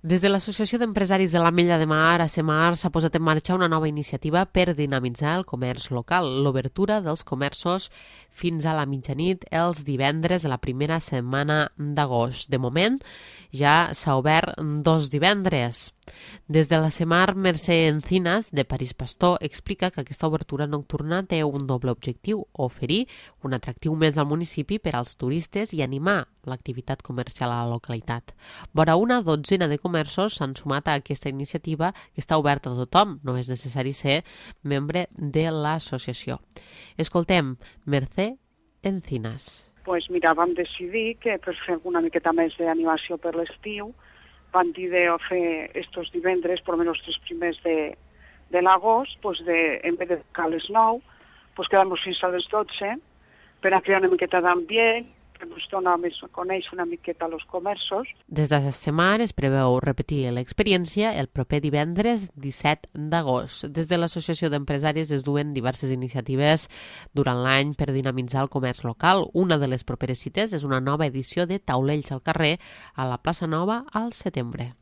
Des de l'Associació d'Empresaris de l'Ametlla de Mar, ACMAR, s'ha posat en marxa una nova iniciativa per dinamitzar el comerç local, l'obertura dels comerços fins a la mitjanit els divendres de la primera setmana d'agost. De moment, ja s'ha obert 2 divendres. Des de l'ACMAR, Mercè Encinas, de París Pastor, explica que aquesta obertura nocturna té un doble objectiu: oferir un atractiu més al municipi per als turistes i animar l'activitat comercial a la localitat. Vora una dotzena de comerços s'han sumat a aquesta iniciativa que està oberta a tothom, no és necessari ser membre de l'associació. Escoltem Mercè Encinas. Pues mira, vam decidir que per fer una miqueta més d'animació per l'estiu vam dir de fer estos divendres, per almenys els 3 primers de l'agost, pues en vez de tocar a les 9, pues quedar-nos fins a les 12 per a crear una miqueta d'ambient, que ens dona més a conèixer una miqueta els comerços. Des de la setmana es preveu repetir l'experiència el proper divendres 17 d'agost. Des de l'Associació d'Empresaris es duen diverses iniciatives durant l'any per dinamitzar el comerç local. Una de les properes cites és una nova edició de Taulells al carrer a la plaça Nova al setembre.